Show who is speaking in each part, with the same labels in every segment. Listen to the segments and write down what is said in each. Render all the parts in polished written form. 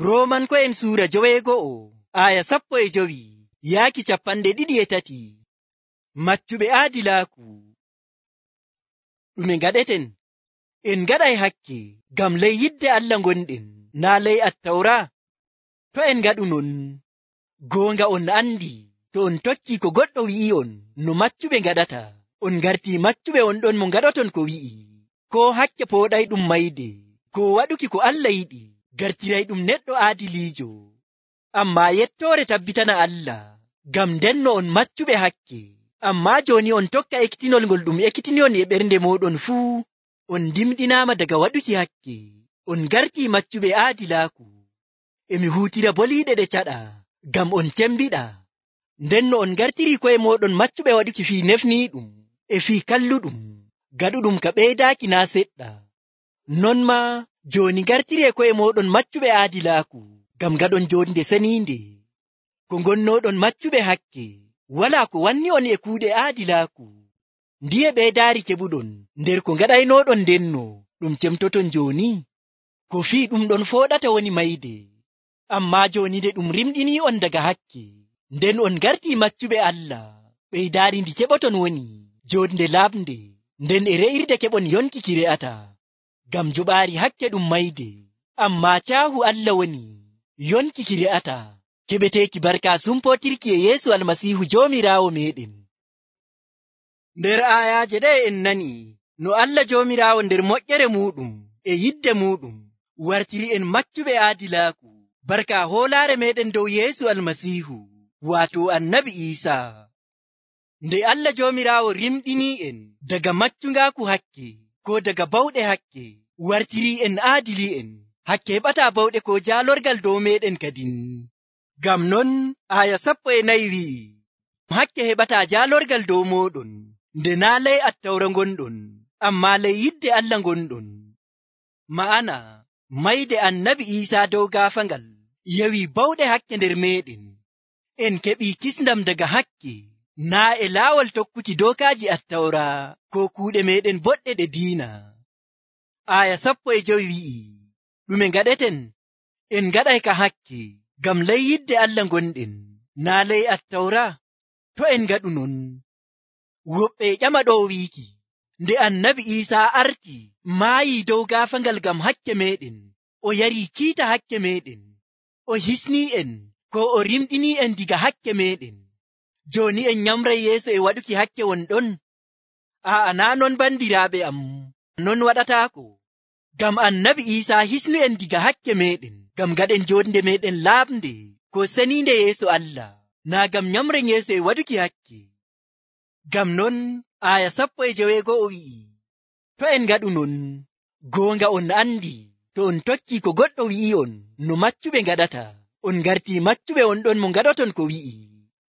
Speaker 1: Roomanko'en suura 15 yaaki 23. Maccuɓe aadilaaku. Ɗume ngaɗeten? En ngaɗay hakke ngam ley yidde Allah ngonɗen, naa ley Attawra. To en ngaɗu non, goonga on andi to on tokkii ko goɗɗo wi'i'on no maccuɓe ngaɗata, on ngartii maccuɓe on ɗon mo ngaɗoton ko wi'i. Ko hakke pooɗayɗum mayde, ko waɗuki ko Allah yiɗi, gartirayɗum neɗɗo aadiliijo. Ammaa yettoore tabbitana Allah, ngam ndenno on maccuɓe hakke. Ammaa jooni on tokka ekkitinol ngol ɗum ekkitini'on e ɓernde mooɗon fuu. On dimɗinaama daga waɗuki hakke. On ngartii maccuɓe aadilaaku. E mi huutira boliiɗe ɗe caɗa, ngam on cembiɗa. Ndenno on ngartirii ko'e mooɗon maccuɓe waɗuki fii nefniiɗum e fii kalluɗum, gaɗuɗum ka ɓeydaaki naa seɗɗa. Non maa jooni ngartiree ko'e mooɗon maccuɓe aadilaaku, ngam gaɗon jonde seniinde. Ko ngonnooɗon maccuɓe hakke, walaa ko wanni on e kuuɗe aadilaaku. Ndiye ɓeydaari keɓuɗon nder ko ngaɗaynooɗon ndenno ɗum cemtoton jooni? Ko fii ɗum ɗon fooɗata woni mayde. Ammaa jooni nde ɗum rimɗinii'on daga hakke, nden on ngartii maccuɓe Allah, ɓeydaari ndi keɓoton woni jonde laaɓnde, nden e re'irde keɓon yonki ki re'ata. Ngam joɓaari hakke ɗum mayde, ammaa caahu Allah woni yonki ki re'ata, keɓeteeki barka sumpootirki e Yeesu Almasiihu Joomiraawo meeɗen. Nder aayaaje ɗe en nani no Allah Joomiraawo nder moƴƴere muuɗum e yidde muuɗum wartiri en maccuɓe aadilaaku, barka hoolaare meeɗen dow Yeesu Almasiihu, waato Annabi Iisaa. Nde Allah Joomiraawo rimɗinii en daga maccungaaku hakke, ko daga bawɗe hakke, wartirii en aadili'en. Hakke heɓataa bawɗe ko jaalorgal dow meeɗen kadin. Ngam non aaya 14 wi'i, hakke heɓataa jaalorgal dow mooɗon, nde naa ley Attawra ngonɗon, ammaa ley yidde Allah ngonɗon. Ma'ana, mayde Annabi Iisaa dow gaafangal yawi bawɗe hakke nder meeɗen. En keɓii kisndam daga hakke, naa e laawol tokkuki dookaaji Attawra ko kuuɗe meeɗen boɗɗe ɗe diina. Aaya 15 wi'i, ɗume ngaɗeten? En ngaɗay ka hakke ngam ley yidde Allah ngonɗen, naa ley Attawra. To en ngaɗu non, woɓɓe ƴama ɗo wiiki, nde Annabi Iisaa arti maayii dow gaafangal ngam hakke meeɗen, o yarii kiita hakke meeɗen, o hisnii en ko o rimɗinii en diga hakke meeɗen. Jooni en nyamray yeeso e waɗuki hakke wonɗon? Aa, naa non bandiraaɓe am, non waɗataako. Ngam Annabi Iisaa hisnu en diga hakke meeɗen, ngam gaɗen jonde meeɗen laaɓnde ko seniinde yeeso Allah, naa ngam nyamren yeeso e waɗuki hakke. Ngam non aaya 15 wi'i, to en ngaɗu non, goonga on andi to on tokkii ko goɗɗo wi'i'on no maccuɓe ngaɗata, on ngartii maccuɓe on ɗon mo ngaɗoton ko wi'i.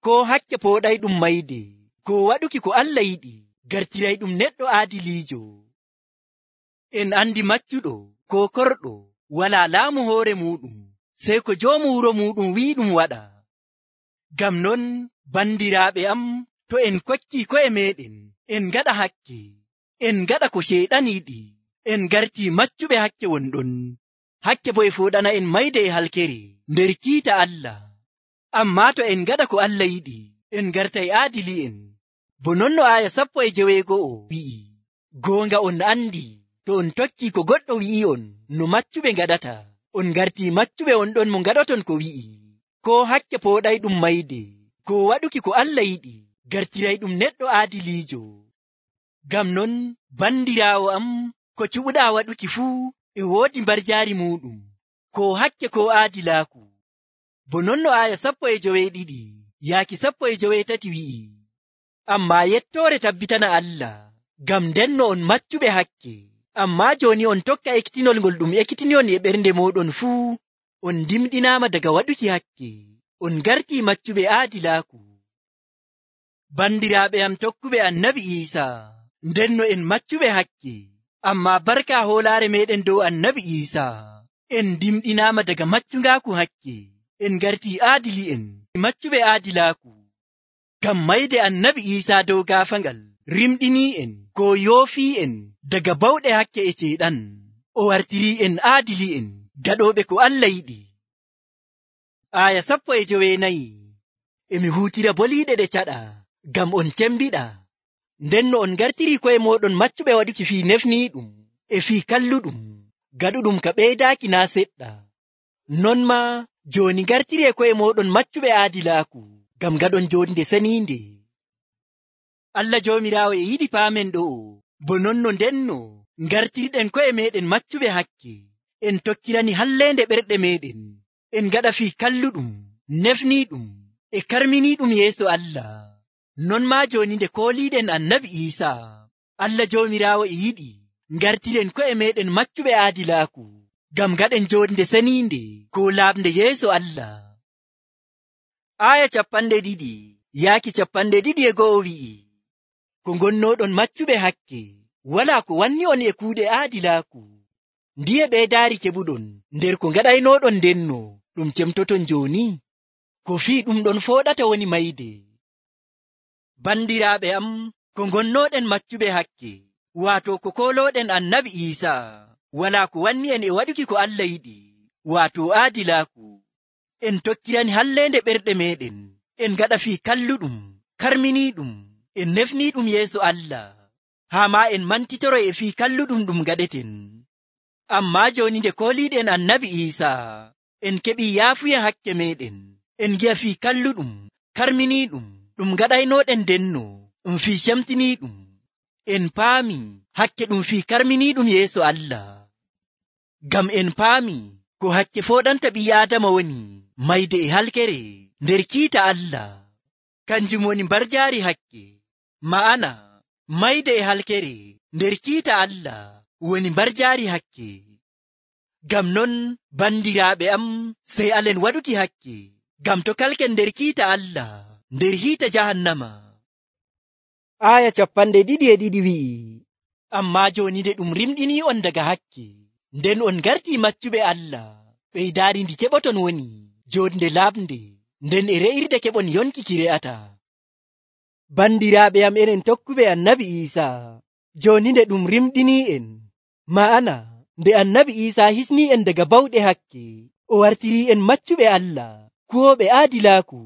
Speaker 1: Ko hakke pooɗayɗum mayde, ko waɗuki ko Allah yiɗi, gartirayɗum neɗɗo aadiliijo. En andi maccuɗo ko korɗo walaa laamu hoore muuɗum, sey ko joomu wuro muuɗum wi'i ɗum waɗa. Ngam non bandiraaɓe am, to en kokkii ko'e meeɗen, en ngaɗa hakke, en ngaɗa ko Ceyɗan yiɗi, en ngartii maccuɓe hakke wonɗon. Hakke bo e fooɗana en mayde e halkere nder kiita Allah. Ammaa to en ngaɗa ko Allah yiɗi, en ngartay aadili'en. Bo non no aaya 16 wi'i, goonga on andi to on tokkii ko goɗɗo wi'i'on no maccuɓe ngaɗata, on ngartii maccuɓe on ɗon mo ngaɗoton ko wi'i. Ko hakke pooɗayɗum mayde, ko waɗuki ko Allah yiɗi, gartirayɗum neɗɗo aadiliijo. Ngam non bandiraawo am, ko cuɓuɗaa waɗuki fuu e woodi mbarjaari muuɗum, ko hakke ko aadilaaku. Bo non no aaya 12 yaaki 13 wi'i, ammaa yettoore tabbitana Allah, ngam ndenno on maccuɓe hakke. Ammaa jooni on tokka ekkitinol ngol ɗum ekkitini'on e ɓernde mooɗon fuu. On dimɗinaama daga waɗuki hakke, on ngartii maccuɓe aadilaaku. Bandiraaɓe am tokkuɓe Annabi Iisaa, ndenno en maccuɓe hakke, ammaa barka hoolaare meeɗen dow Annabi Iisaa, en dimɗinaama daga maccungaaku hakke, en ngartii aadili'en maccuɓe aadilaaku. Ngam mayde Annabi Iisaa dow gaafangal rimɗinii en ko yoofii en daga bawɗe hakke e Ceyɗan, o wartirii en aadili'en, gaɗooɓe ko Allah yiɗi. Aya 14. Emi hutira boliiɗe ɗe caɗa ngam on cembiɗa. Nden no on gartiri ko'e moɗon maccuɓe waɗuki fii nefniiɗum e fii kalluɗum, gaɗuɗum ka ɓeydaaki naa seɗɗa. Non maa jooni gartiri ko'e moɗon maccuɓe aadilaaku ngam gaɗon jonde seniinde. Allah Joomiraawo e yiɗi paamen ɗo'o, bo nonno ndenno gartirɗen ko'e meɗen maccuɓe hakke, en tokkirani halleende ɓerɗe meɗen, en gaɗa fii kalluɗum, nefniiɗum e karminiiɗum yeeso Allah. Non maa jooni nde kooliiɗen Annabi Iisaa, Allah Joomiraawo e yiɗi gartiren ko'e meɗen maccuɓe aadilaaku ngam gaɗen jonde seniinde ko laaɓnde yeeso Allah. Aya 20 yaaki 21 wi'i, ko gonnoɗon maccuɓe hakke, walaa ko wanni on e kuuɗe aadilaaku. Ndiye ɓeydaari keɓuɗon nder ko gaɗaynoɗon ndenno ɗum cemtoton jooni? Ko fii ɗum ɗon fooɗata woni mayde. Bandiraaɓe am, ko gonnoɗen maccuɓe hakke, waato ko koolooɗen Annabi Iisaa, walaa ko wanni en e waɗuki ko Allah yiɗi, waato aadilaaku. En tokkirani halleende ɓerɗe meɗen, en gaɗa fii kalluɗum, karminiiɗum, en nefniiɗum yeeso Allah, haa maa en mantitoro e fii kalluɗum ɗum gaɗeten. Ammaa jooni nde kooliiɗen Annabi Iisaa, en keɓii yaafuya hakke meɗen, en gi'a fii kalluɗum, karminiiɗum, ɗum gaɗaynoɗen ndenno, ɗum fii cemtiniiɗum. En paami hakke ɗum fii karminiiɗum yeeso Allah. Ngam en paami ko hakke fooɗanta ɓii Aadama woni mayde e halkere nder kiita Allah. Kanjum woni mbarjaari hakke, ma'ana mayde e halkere nder kiita Allah woni mbarjaari hakke. Ngam non bandiraaɓe am, sey alen waɗuki hakke, ngam to kalken nder kiita Allah nder hiita jahannama. Aya 22 wi'i, ammaa jooni nde ɗum rimɗinii on daga hakke, nden on gartii maccuɓe Allah, ɓeydaari ndi keɓoton woni jonde laaɓnde, nden e re'irde keɓon yonki ki re'ata. Bandiraaɓe am enen tokkuɓe Annabi Iisaa, jooni nde ɗum rimɗinii en, ma'ana nde Annabi Iisaa hisnii en daga bawɗe hakke, o wartirii en maccuɓe Allah, kuwooɓe aadilaaku.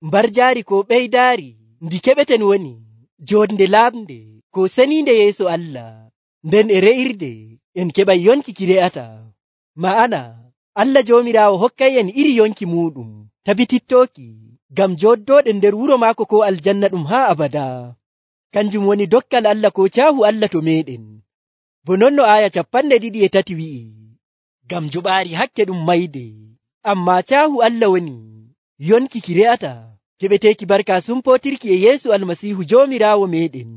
Speaker 1: Mbarjaari ko ɓeydaari ndi keɓeten woni jonde laaɓnde ko seniinde yeeso Allah, nden e re'irde en keɓay yonki ki re'ata. Ma'ana Allah Joomiraawo hokkay en iri yonki muɗum tabitittooki ngam jooddooɗen nder wuro maako ko aljanna ɗum haa abada. Kanjum woni dokkal Allah ko caahu Allah to meɗen. Bo nonno aya 23 wi'i, ngam joɓaari hakke ɗum mayde, ammaa caahu Allah woni yonki ki re'ata, keɓeteeki barka sumpootirki e Yeesu Almasiihu Joomiraawo meɗen.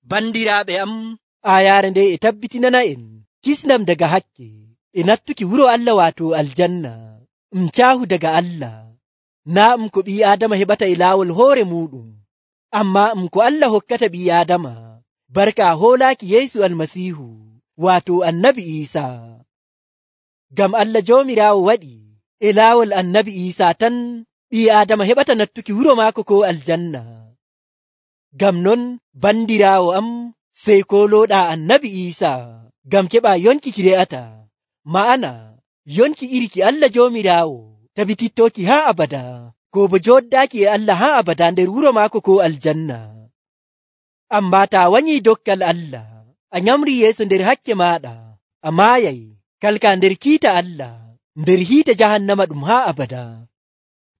Speaker 1: Bandiraaɓe am, ayaare nde e tabbitinana en kisnam daga hakke e nattuki wuro Allah waato aljanna, caahu daga Allah, naa ko ɓii Aadama heɓata e laawol hoore muɗum, ammaa ko Allah hokkata ɓii Aadama barka hoolaaki Yeesu Almasiihu waato Annabi Iisaa. Ngam Allah Joomiraawo waɗi e laawol Annabi Iisaa tan ɓii Aadama heɓata nattuki wuro maako ko aljanna. Ngam non bandiraawo am, sey koolooɗaa Annabi Iisaa ngam keɓa yonki ki re'ata, ma'ana yonki iri ki Allah Joomiraawo tabitittooki haa abada, ko bo jooddaaki e Allah haa abada nder wuro maako ko aljanna. Ammaa taa wanyii dokkal Allah, a nyamri yeeso nder hakke maaɗa, a maayay kalka nder kiita Allah nder hiite jahannama ɗum haa abada.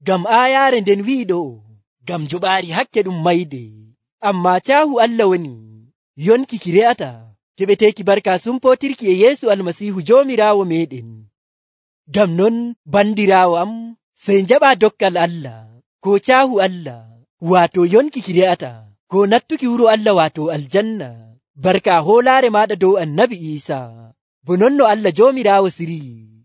Speaker 1: Ngam aayaare nden wi'i ɗo, ngam joɓaari hakke ɗum mayde, ammaa caahu Allah woni yonki ki re'ata, keɓeteeki barka sumpootirki e Yeesu Almasiihu Joomiraawo meɗen. Ngam non bandiraawo am, sey njaɓaa dokkal Allah ko caahu Allah waato yonki ki re'ata, ko nattuki wuro Allah waato aljanna, barka hoolaare maaɗa dow Annabi Iisaa, bo nonno Allah Joomiraawo sirii.